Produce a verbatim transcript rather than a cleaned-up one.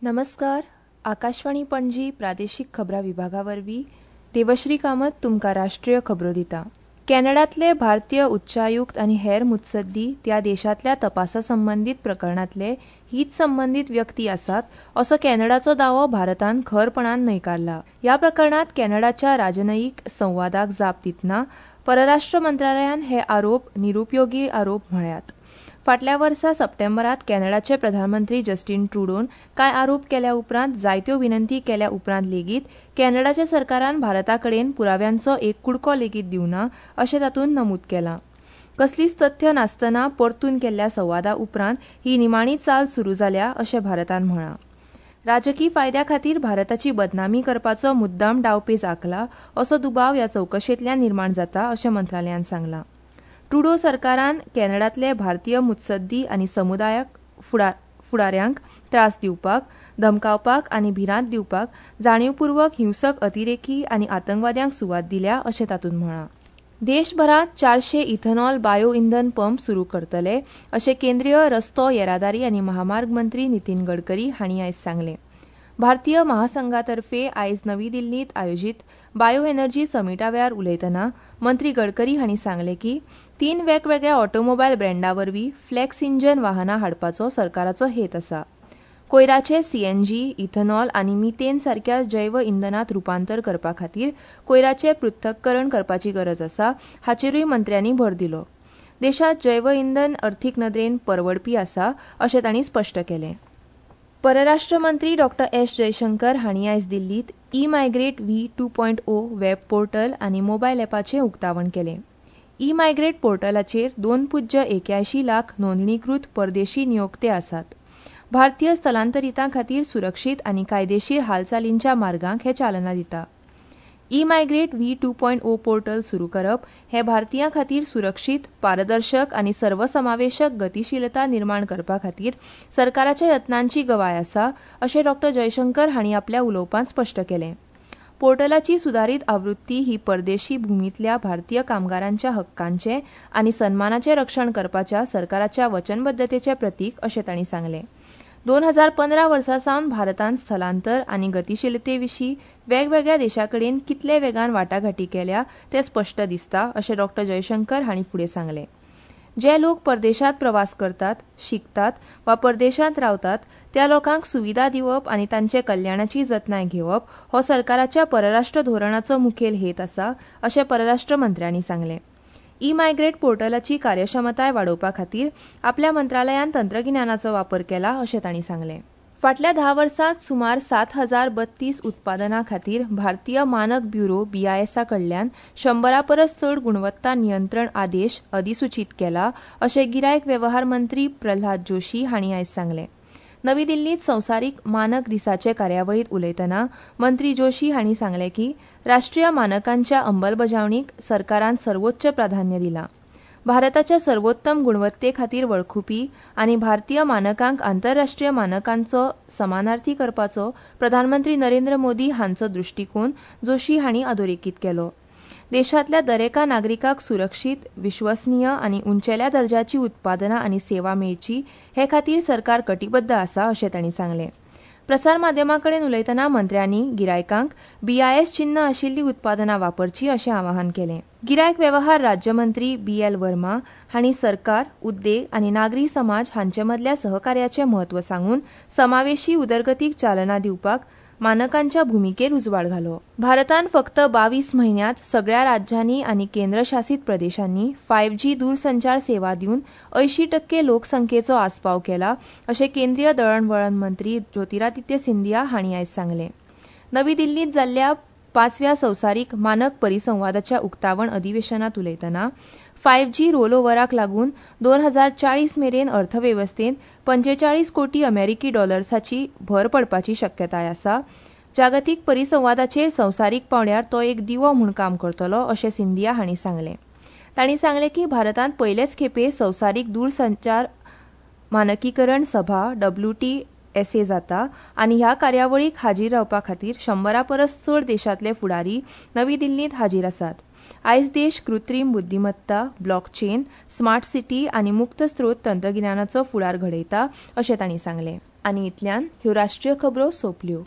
नमस्कार, आकाशवाणी पणजी प्रादेशीक खबरां विभागा वरवीं देवश्री कामत तुमकां राष्ट्रीय खबरो दिता. कॅनडांतले भारतीय उच्चायुक्त आनी हेर मुत्सद्दी त्या देशांतल्या तपासा संबंदीत प्रकरणांतले हीत संबंदीत व्यक्ती आसात असो कॅनडाचो दावो भारतान खरपणान न्हयकारला. ह्या प्रकरणांत कॅनडाच्या राजनयीक संवादाक जाप दितना परराष्ट्र मंत्रालयान हे आरोप निरुपयोगी आरोप म्हळ्यात. फाटल्या वर्सा सप्टेंबरांत कॅनडाचे प्रधानमंत्री जस्टीन ट्रुडोन कांय आरोप केल्या उपरांत जायत्यो विनंती केल्या उपरांत लेगीत कॅनडाच्या सरकारान भारता कडेन पुराव्यांचो एक कुडको लेगीत दिवना अशें तातूंत नमूद केलां. कसलीच तथ्य नासतना परतून केल्ल्या संवादा उपरांत ही निमाणी चाल सुरू जाल्या अशें भारतान म्हळां. राजकी फायद्या खातीर भारताची बदनामी करपाचो मुद्दाम डावपेच आंखला असो दुबाव ह्या चवकशेंतल्यान निर्माण जाता अशें मंत्रालयान सांगलां. ट्रुडो सरकारान कॅनडांतले भारतीय मुत्सद्दी आनी समुदायाक फुडाऱ्यांक त्रास दिवपाक, धमकावपाक आनी भिरांत दिवपाक जाणीवपूर्वक हिंसक अतिरेकी आनी आतंकवाद्यांक सुवात दिल्या अशें तातूंत म्हळां. देशभरांत चारशे इथेनॉल बायो इंधन पंप सुरू करतले अशें केंद्रीय रस्तो येरादारी आनी महामार्ग मंत्री नितीन गडकरी हांणी आयज सांगलें. भारतीय महासंघातर्फे आयज नवी दिल्लींत आयोजीत बायो एनर्जी समिटा वेळार उलयतना मंत्री गडकरी हांणी सांगलें की तीन वेगवेगळ्या ऑटोमोबायल ब्रँडा वरवीं फ्लॅक्स इंजन वाहनां हाडपाचो सरकाराचो हेत आसा. कोयराचे सीएनजी, इथेनॉल आनी मिथेन सारक्या जैव इंधनांत रुपांतर करपा खातीर कोयराचें पृथक्करण करपाची गरज आसा हाचेरूय मंत्र्यांनी भर दिलो. देशांत जैव इंधन अर्थीक नदरेन परवडपी आसा अशें तांणी स्पश्ट केलें. परराष्ट्र मंत्री डॉ एस जयशंकर हांणी आयज दिल्लींत e migrate V two point O web portal आनी मोबायल ॲपाचें उक्तावण केलें. ई मायग्रेट पोर्टलाचेर दोन पुज्य एक्यायशी लाख नोंदणीकृत परदेशी नियोक्ते आसात. भारतीय स्थलांतरितां खातीर सुरक्षीत आनी कायदेशीर हालचालींच्या मार्गांक हें चालना दिता. E migrate V two point O portal सुरू करप हें भारतीयां खातीर सुरक्षीत, पारदर्शक आनी सर्वसमावेशक गतिशीलता निर्माण करपा खातीर सरकाराच्या यत्नांची गवाय आसा अशें डॉ जयशंकर हांणी आपल्या उलोवपांत स्पश्ट केलें. पोर्टलाची सुदारीत आवृत्ती ही परदेशी भूमींतल्या भारतीय कामगारांच्या हक्कांचें आनी सन्मानाचें रक्षण करपाच्या सरकाराच्या वचनबद्धतेचें प्रतीक अशें तांणी सांगलें. दोन हजार पंदरा वर्सा सावन भारतान स्थलांतर आनी गतिशीलते विशीं वेगवेगळ्या देशां कडेन कितले वेगान वाटाघाटी केल्या तें स्पश्ट दिसता अशें डॉ जयशंकर हांणी फुडें सांगलें. जे लोक परदेशांत प्रवास करतात, शिकतात वा परदेशांत रावतात त्या लोकांक सुविधा दिवप आनी तांचे कल्याणाची जतनाय घेवप हो सरकाराच्या परराष्ट्र धोरणाचो मुखेल हेत आसा अशें परराष्ट्र मंत्र्यांनी सांगलें. ई मायग्रेट पोर्टलाची कार्यक्षमताय वाडोवपा खातीर आपल्या मंत्रालयान तंत्रगिन्यानाचो वापर केला अशें तांणी सांगलें. फाटल्या धा वर्सांत सुमार सात हजार बत्तीस उत्पादनां खातीर भारतीय मानक ब्युरो बीआयएसा कडल्यान शंबरा परस चड गुणवत्ता नियंत्रण आदेश अधिसुचीत केला अशें गिरायक वेव्हार मंत्री प्रल्हाद जोशी हांणी आयज सांगलें. नवी दिल्लींत संवसारीक मानक दिसाचे कार्यावळींत उलयतना मंत्री जोशी हांणी सांगलें की राष्ट्रीय मानकांच्या अंमलबजावणीक सरकारान सर्वोच्च प्राधान्य दिलां. भारताच्या सर्वोत्तम गुणवत्ते खातीर वळखुपी आनी भारतीय मानकांक आंतरराष्ट्रीय मानकांचो समानार्थी करपाचो प्रधानमंत्री नरेंद्र मोदी हांचो दृश्टीकोन जोशी हांणी अधोरेखीत केलो. देशांतल्या दरेका नागरिकाक सुरक्षीत, विश्वसनीय आनी उंचेल्या दर्जाची उत्पादनां आनी सेवा मेळची हे खातीर सरकार कटिबद्ध आसा अशें तांणी सांगलें. प्रसार माध्यमां कडेन उलयतना मंत्र्यांनी गिरायकांक बीआयएस चिन्ह आशिल्लीं उत्पादनां वापरचीं अशें आवाहन केलें. गिरायक वेव्हार राज्यमंत्री बी एल वर्मा हांणी सरकार, उद्देग आनी नागरी समाज हांचे मदल्या सहकार्याचें म्हत्व सांगून समावेशी उदरगतीक चालना दिवपाक मानकांच्या भुमिकेर उजवाड घालो. भारतान फक्त बावीस म्हयन्यांत सगळ्या राज्यांनी आनी केंद्रशासीत प्रदेशांनी फायव्ह जी दूरसंचार सेवा दिवन अंयशीं टक्के लोकसंख्येचो आस्पाव केला अशें केंद्रीय दळणवळण मंत्री ज्योतिरादित्य सिंधिया हांणी आयज सांगलें. नवी दिल्लींत जाल्ल्या पांचव्या संवसारीक मानक परिसंवादाच्या उक्तावण अधिवेशनांत उलयतना फायव्ह जी रोलओव्हराक लागून दोन हजार चाळीस मेरेन अर्थवेवस्थेंत पंचेचाळीस कोटी अमेरिकी डॉलर्साची भर पडपाची शक्यताय आसा. जागतीक परिसंवादाचेर संवसारीक पांवड्यार तो एक दिवो म्हूण काम करतलो अशें सिंधिया हांणी सांगलें. तांणी सांगलें की भारतांत पयलेच खेपे संवसारीक दूरसंचार मानकीकरण सभा डब्ल्यू टी एस ए जाता आनी ह्या कार्यावळीक हाजीर रावपा खातीर शंबरा परस चड देशांतले फुडारी नवी दिल्लींत हाजीर आसात. आयज देश कृत्रीम बुद्धिमत्ता, ब्लॉकचेन, स्मार्ट सिटी आनी मुक्त स्रोत तंत्रगिन्यानाचो फुडार घडयता अशें तांणी सांगलें. आनी इतल्यान ह्यो राष्ट्रीय खबरो सोंपल्यो.